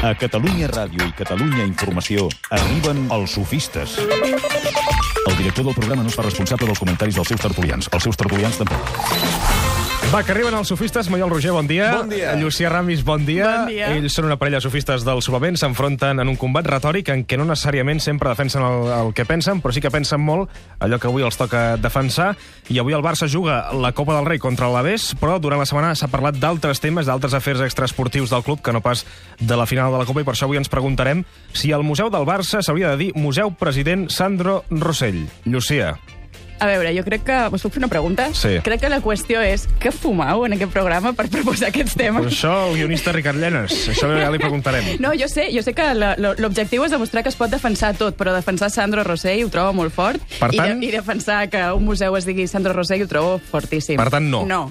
A Catalunya Ràdio i Catalunya Informació arriben els sofistes. El director del programa no es fa responsable dels comentaris dels seus tertulians. Els seus tertulians tampoc. Va, que arriben els sofistes. Maiol Roger, bon dia. Bon dia. Llucià Ramis, bon dia. Bon dia. Ells són una parella de sofistes del suplement, s'enfronten en un combat retòric en què no necessàriament sempre defensen el que pensen, però sí que pensen molt allò que avui els toca defensar. I avui el Barça juga la Copa del Rei contra l'Alavés, però durant la setmana s'ha parlat d'altres temes, d'altres afers extraesportius del club, que no pas de la final de la Copa, i per això avui ens preguntarem si al Museu del Barça s'hauria de dir Museu President Sandro Rosell. Llucia. A veure, jo crec que... Us puc fer una pregunta? Sí. Crec que la qüestió és què fumau en aquest programa per proposar aquests temes? Per això el guionista Ricard Llenas. Això ja li preguntarem. No, jo sé que l'objectiu és demostrar que es pot defensar tot, però defensar Sandro Rosell ho trobo molt fort. Per tant... I defensar que un museu es digui Sandro Rosell ho trobo fortíssim. Per tant, no. No.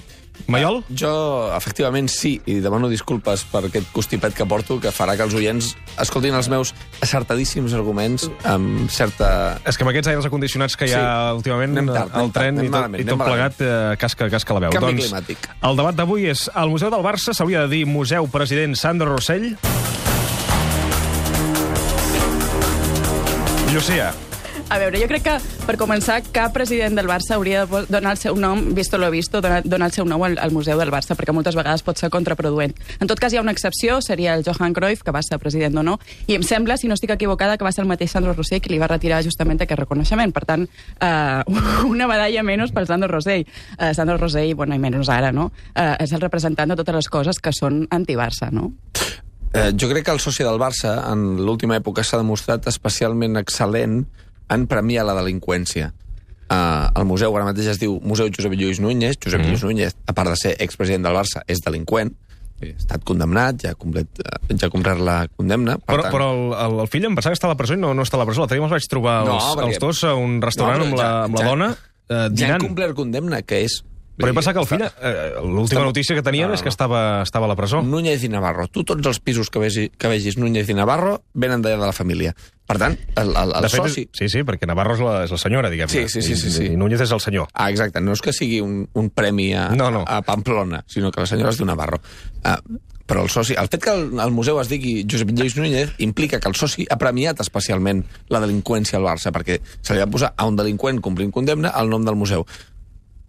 Maiol? Jo, efectivament, sí, i demano disculpes per aquest constipet que porto, que farà que els oients escoltin els meus acertadíssims arguments amb certa... És que amb aquests aires acondicionats que hi ha últimament, el tren i tot plegat, casca la veu. Canvi climàtic. El debat d'avui és: al Museu del Barça s'hauria de dir Museu President Sandro Rosell? Llucia. A veure, jo crec que, per començar, cap president del Barça hauria de donar el seu nom, visto lo visto, donar el seu nom al Museu del Barça, perquè moltes vegades pot ser contraproduent. En tot cas, hi ha una excepció, seria el Johan Cruyff, que va ser president o no, i em sembla, si no estic equivocada, que va ser el mateix Sandro Rosell qui li va retirar justament aquest reconeixement. Per tant, una medalla menys pel Sandro Rosell. Sandro Rosell, bueno, i menys ara, no? És el representant de totes les coses que són anti-Barça, no? Jo crec que el soci del Barça, en l'última època, s'ha demostrat especialment excel·lent en premiar la delinqüència. El museu ara mateix es diu Museu Josep Lluís Núñez. Josep Lluís Núñez, a part de ser expresident del Barça, és delinqüent. Ha estat condemnat, ja ha complert la condemna. Però el fill em pensava que està a la presó i no està a la presó. L'altre dia me'ls vaig trobar els dos a un restaurant amb la dona dinant. Ja han complert condemna, que és... Però he pensat que el fill, l'última notícia que tenien és que estava a la presó. Núñez i Navarro. Tots els pisos que vegis Núñez i Navarro venen d'allà de la família. Per tant, el soci... Sí, perquè Navarro és la senyora, diguem-ne. Sí. I Núñez és el senyor. Exacte. No és que sigui un premi a Pamplona, sinó que la senyora és d'un Navarro. Però el soci... El fet que el museu es digui Josep Lluís Núñez implica que el soci ha premiat especialment la delinqüència al Barça, perquè se li va posar a un delinqüent complint condemna el nom del museu.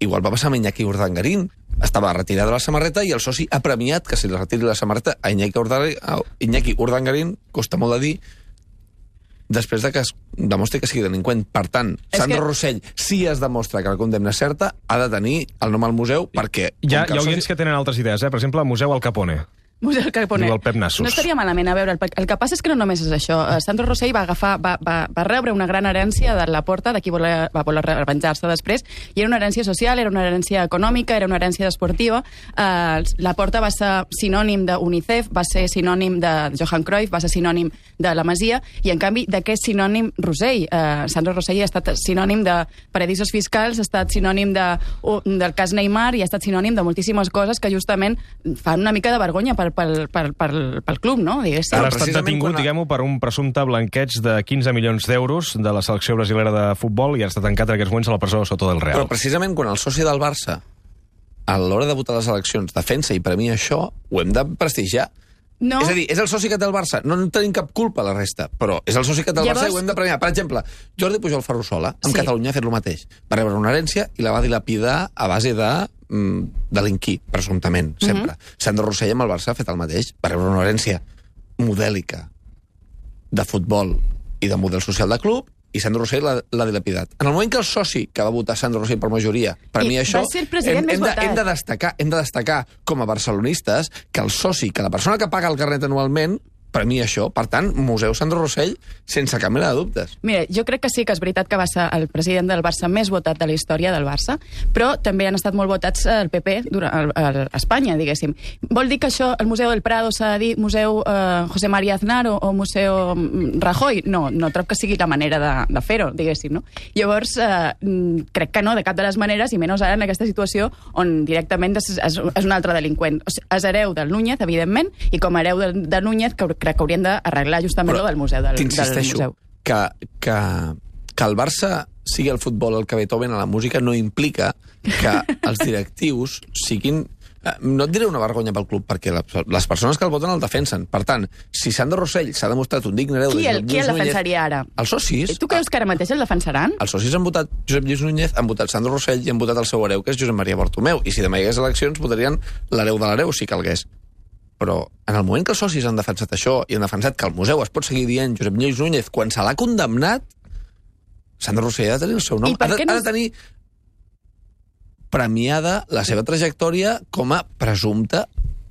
Igual va passar amb Iñaki Urdangarín. Estava retirat de la samarreta i el soci ha premiat que se li retiri la samarreta a Iñaki Urdangarín, costa molt de dir, després de que es demostri que sigui delinqüent. Per tant, Sandro Rosell, si es demostra que la condemna és certa, ha de tenir el nom al museu perquè... Hi ha oients que tenen altres idees, Per exemple, Museu Al Capone. Museu Capone. Diu el Pep Nassos. No estaria malament. A veure, el que passa és que no només és això. Sandro Rosell va rebre una gran herència de la Porta, de qui va voler revenjar-se després, i era una herència social, era una herència econòmica, era una herència esportiva. La Porta va ser sinònim d'UNICEF, va ser sinònim de Johan Cruyff, va ser sinònim de la Masia, i en canvi, de què és sinònim Rosell? Sandro Rosell ha estat sinònim de paradisos fiscals, ha estat sinònim del cas Neymar i ha estat sinònim de moltíssimes coses que justament fan una mica de vergonya pel club, no? Diguéssim. Ara ha estat detingut, diguem-ho, per un presumpte blanqueig de 15 milions d'euros de la selecció brasilera de futbol i ha estat tancat en aquests moments a la presó Soto del Real. Però precisament quan el soci del Barça, a l'hora de votar les eleccions, defensa i premia això, ho hem de prestigiar. No. És a dir, és el soci que té el Barça. No en tenim cap culpa, la resta, però és el soci que té el Barça i ho hem de premiar. Per exemple, Jordi Pujol Ferrusola, amb Catalunya, ha fet el mateix. Va rebre una herència i la va dilapidar a base de delinquir, presumptament, sempre. Sandro Rosell amb el Barça ha fet el mateix. Va rebre una herència modèlica de futbol i de model social de club, i Sandro Rosell l'ha dilapidat. En el moment que el soci que va votar Sandro Rosell per majoria premia això, hem de destacar com a barcelonistes que el soci, que la persona que paga el carnet anualment, premia això. Per tant, Museu Sandro Rosell, sense cap mena de dubtes. Mira, jo crec que sí que és veritat que va ser el president del Barça més votat de la història del Barça, però també han estat molt votats el PP a Espanya, diguéssim. Vol dir que això, el Museu del Prado s'ha de dir Museu José María Aznar o Museu Rajoy? No trob que sigui la manera de fer-ho, diguéssim, no? Llavors, crec que no, de cap de les maneres, i menys ara en aquesta situació on directament és un altre delinqüent. És hereu del Núñez, evidentment, i com a hereu de Núñez, crec que haurien d'arreglar justament el museu del museu. T'insisteixo que el Barça sigui el futbol el que Beethoven a la música no implica que els directius siguin No et diré una vergonya pel club, perquè les persones que el voten el defensen. Per tant, si Sandro Rossell s'ha demostrat un digne hereu... Qui el defensaria ara? Els socis. Tu creus que ara mateix el defensaran? Els socis han votat Josep Lluís Núñez, han votat Sandro Rossell i han votat el seu hereu, que és Josep Maria Bartomeu. I si demà hi hagués eleccions, votarien l'hereu de l'hereu, si calgués. Però en el moment que els socis han defensat això i han defensat que el museu es pot seguir dient Josep Lluís Núñez, quan se l'ha condemnat, Sandro Rossell ha de tenir el seu nom. Ha de tenir premiada la seva trajectòria com a presumpte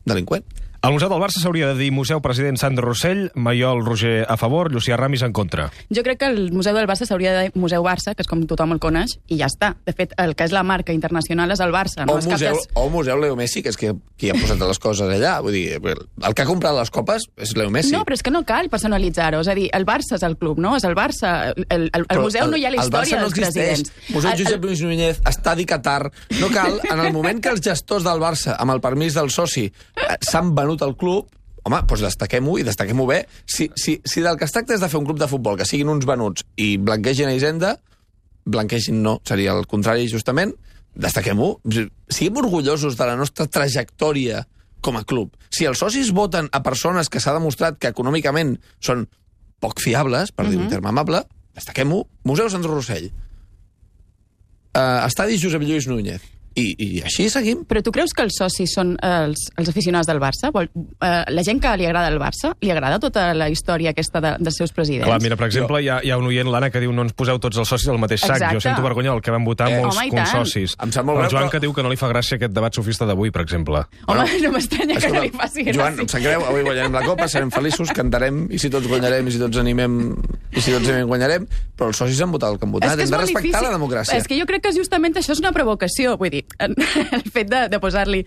delinqüent. Al Museu del Barça s'hauria de dir Museu President Sandro Rossell, Maiol Roger a favor, Llucià Ramis en contra. Jo crec que el Museu del Barça s'hauria de dir Museu Barça, que és com tothom el coneix, i ja està. De fet, el que és la marca internacional és el Barça. No? O Museu Leo Messi, que és qui ha posat les coses allà. Vull dir, el que ha comprat les copes és Leo Messi. No, però és que no cal personalitzar-ho. És a dir, el Barça és el club, no? És el Barça. El museu no hi ha la història dels presidents. Museu Josep Lluís Núñez, Estadi Qatar... No cal, en el moment que els gestors del Barça, amb el permís del soci, s'han venut al club, home, doncs destaquem-ho i destaquem-ho bé. Si del que es tracta és de fer un club de futbol que siguin uns venuts i blanquegin a Hisenda, blanquegin no, seria el contrari justament, destaquem-ho. Siguem orgullosos de la nostra trajectòria com a club. Si els socis voten a persones que s'ha demostrat que econòmicament són poc fiables, per dir un terme amable, destaquem-ho. Museu Sandro Rossell. Estadi Josep Lluís Núñez. I així seguim. Però tu creus que els socis són els aficionats del Barça? La gent que li agrada el Barça, li agrada tota la història aquesta dels seus presidents? Clar, mira, per exemple, hi ha un oient, l'Anna, que diu no ens poseu tots els socis al mateix sac. Exacte. Jo sento vergonya del que van votar molts consocis. Em sap molt el Joan greu, que diu que no li fa gràcia aquest debat sofista d'avui, per exemple. Home, no m'estranya que no li faci gràcia. Joan, em sap greu, avui guanyarem la Copa, serem feliços, cantarem, i si tots guanyarem, i si tots animem, guanyarem, però els socis han votat el que han votat. Hem de respectar la democràcia. És que jo crec que justament això és una provocació. Vull dir, el fet de posar-li...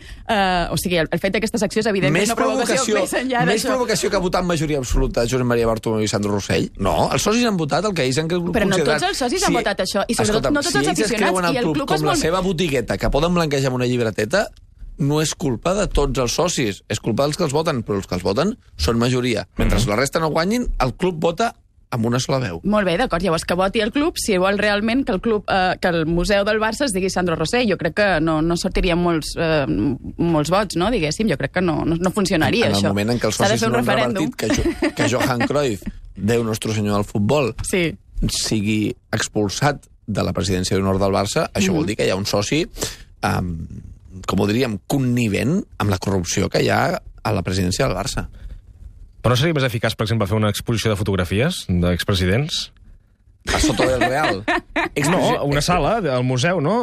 o sigui, el fet d'aquesta secció és evident més una provocació més enllà d'això. Més provocació que votar en majoria absoluta Josep Maria Bartomeu i Sandro Rossell? No, els socis han votat el que ells han considerat. Però no tots els socis han votat això, i sobretot no tots els aficionats. I el club com la seva botigueta, que poden blanquejar amb una llibreteta, no és culpa de tots els socis, és culpa dels que els voten, però els que els voten són majoria. Mentre la resta no guanyin, el club vota amb una sola veu. Molt bé, d'acord. Llavors que voti el club si vol realment que el Museu del Barça es digui Sandro Rossell. Jo crec que no sortirien molts vots, no? Diguéssim. Jo crec que no funcionaria, això. En el moment en què els socis no han revertit que Johan Cruyff, Déu nostre senyor del futbol, sigui expulsat de la presidència d'honor del Barça, això vol dir que hi ha un soci, com ho diríem, connivent amb la corrupció que hi ha a la presidència del Barça. Però no seria més eficaç, per exemple, fer una exposició de fotografies d'expresidents? A Soto del Real. No, una sala al museu, no?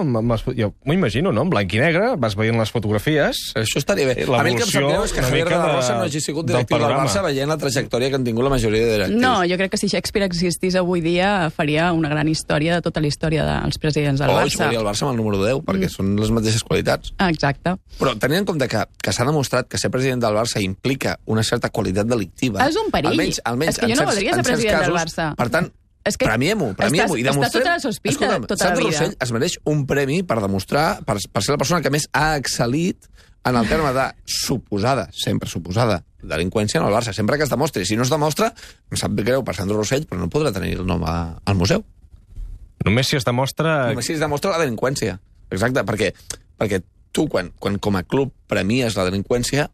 Jo m'ho imagino, no? En blanc i negre, vas veient les fotografies. Això estaria bé. A mi el que em sap greu és que Javier de la Rosa no hagi sigut directiu del Barça veient la trajectòria que han tingut la majoria de directius. No, jo crec que si Shakespeare existís avui dia faria una gran història de tota la història dels presidents del Barça. O jugaria el Barça amb el número 10, perquè són les mateixes qualitats. Exacte. Però tenint en compte que s'ha demostrat que ser president del Barça implica una certa qualitat delictiva... És un perill. Almenys és que jo no voldria ser president del Barça. Per tant, premiem-ho i demostrem... Està tota la sospita, tota la vida. Sandro Rossell es mereix un premi per demostrar, per ser la persona que més ha excel·lit en el terme de sempre suposada, delinqüència en el Barça, sempre que es demostri. Si no es demostra, em sap greu per Sandro Rossell, però no podrà tenir el nom al museu. Només si es demostra... Només si es demostra la delinqüència. Exacte, perquè tu, quan com a club premies la delinqüència,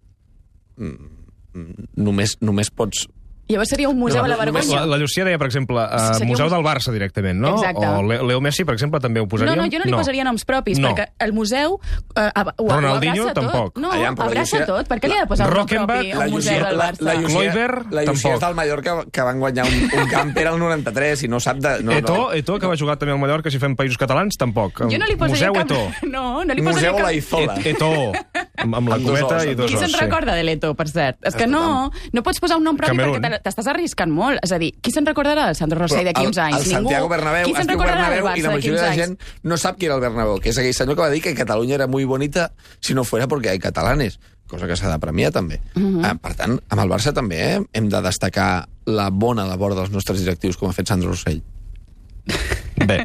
només pots... Llavors seria un museu a la vergonya. La Llucia deia, per exemple, Museu del Barça directament, no? Exacte. O Leo Messi, per exemple, també ho posaríem? No, jo no li posaria noms propis, perquè el museu ho Ronaldinho, abraça tampoc. tot. No, abraça tot. Per què li ha de posar un nom propi al museu del Barça? La Llucia és del Mallorca, que van guanyar un camper al 93 i no sap de... Eto'o, que va jugar també al Mallorca, si fem països catalans, tampoc. Jo no li posaria cap... No li posaria cap... Museu La Izola. Eto'o, amb la cometa i dos os. Qui se'n recorda de l'Eto'o, per cert? És que no pots posar un nom propi perquè t'estàs arriscant molt. És a dir, qui se'n recordarà del Sandro Rossell d'aquí uns anys? El Santiago Bernabéu, qui se'n recordarà del Barça d'aquí uns anys? I la majoria de la gent no sap qui era el Bernabéu, que és aquell senyor que va dir que Catalunya era muy bonita si no fuera porque hay catalanes, cosa que s'ha de premiar també. Per tant, amb el Barça també hem de destacar la bona labor dels nostres directius, com ha fet Sandro Rossell. Bé,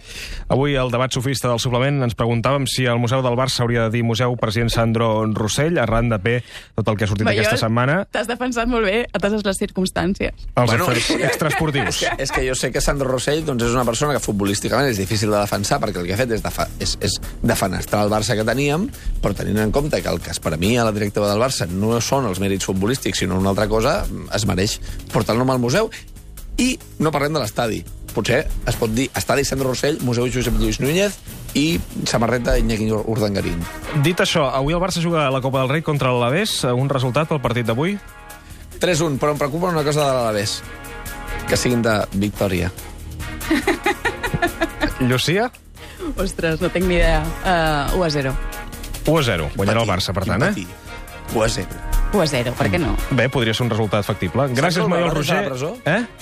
avui al debat sofista del suplement ens preguntàvem si el Museu del Barça hauria de dir Museu President Sandro Rossell, arran de tot el que ha sortit aquesta setmana. T'has defensat molt bé a totes les circumstàncies. Els afers extraesportius. És que jo sé que Sandro Rossell doncs, és una persona que futbolísticament és difícil de defensar, perquè el que ha fet és defenestrar el Barça que teníem, però tenint en compte que el que es premia a la directiva del Barça no són els mèrits futbolístics, sinó una altra cosa, es mereix portar-lo al museu. I no parlem de l'estadi. Potser es pot dir estadi Sandro Rossell, Museu Josep Lluís Núñez i samarreta Iñaki Urdangarín. Dit això, avui el Barça juga a la Copa del Rei contra l'Alavés. Un resultat pel partit d'avui? 3-1, però em preocupa una cosa de l'Alavés. Que siguin de victòria. Llucia? Ostres, no tinc ni idea. 1-0. 1-0. Guanyarà el Barça, per tant, 1-0. 1-0, per què no? Bé, podria ser un resultat factible. Gràcies, Maiol Roger.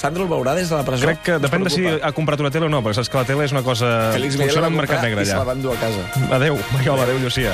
Sandro el veurà des de la presó? Crec que depèn de si ha comprat una tele o no, perquè saps que la tele és una cosa... Félix funciona Miguel al mercat negre, i se allà. la van dur a casa. Adéu, Maiol, adéu, Llucia.